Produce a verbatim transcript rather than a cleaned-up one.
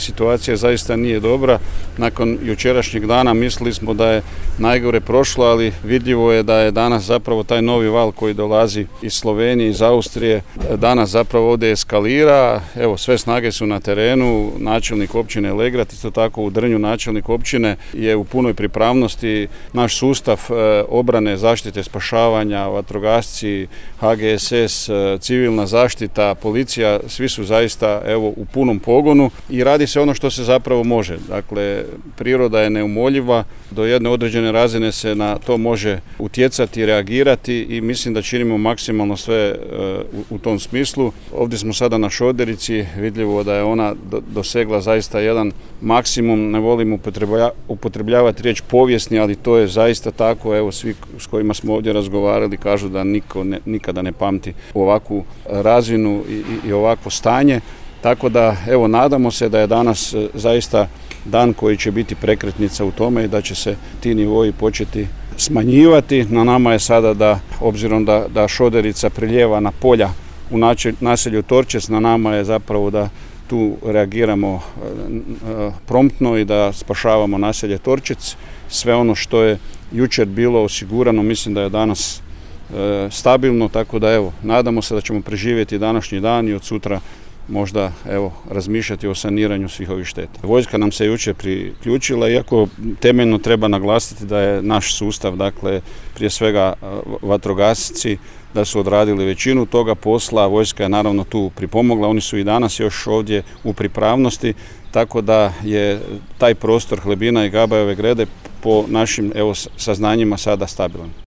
situacija zaista nije dobra. Nakon jučerašnjeg dana mislili smo da je najgore prošlo, ali vidljivo je da je danas zapravo taj novi val koji dolazi iz Slovenije, iz Austrije, danas zapravo ovdje eskalira. Evo, sve snage su na terenu, načelnik općine Legrad, isto tako u Drnju načelnik općine je u punoj pripravnosti. Naš sustav obrane, zaštite, spašavanja, vatrogasci, H G S S, civilna zaštita, policija, svi su zaista evo u punom pogonu i radi se ono što se zapravo može. Dakle, priroda je neumoljiva, do jedne određene razine se na to može utjecati, reagirati i mislim da činimo maksimalno sve u, u tom smislu. Ovdje smo sada na Šoderici, vidljivo da je ona do, dosegla zaista jedan maksimum, ne volim upotrebljavati riječ povijesni, ali to je zaista tako. Evo, svi s kojima smo ovdje razgovarali kažu da niko ne, nikada ne pamti ovakvu razinu i, i, i ovakvo stanje. Tako da, evo, nadamo se da je danas zaista dan koji će biti prekretnica u tome i da će se ti nivoji početi smanjivati. Na nama je sada da, obzirom da, da Šoderica priljeva na polja u naselju Torčec, na nama je zapravo da tu reagiramo promptno i da spašavamo naselje Torčec. Sve ono što je jučer bilo osigurano, mislim da je danas e, stabilno, tako da evo, nadamo se da ćemo preživjeti današnji dan i od sutra možda evo razmišljati o saniranju svih ovih šteta. Vojska nam se jučer priključila, iako temeljno treba naglasiti da je naš sustav, dakle prije svega vatrogasci, da su odradili većinu toga posla. Vojska je naravno tu pripomogla, oni su i danas još ovdje u pripravnosti, tako da je taj prostor Hlebina i Gabajeve Grede po našim evo saznanjima sada stabilan.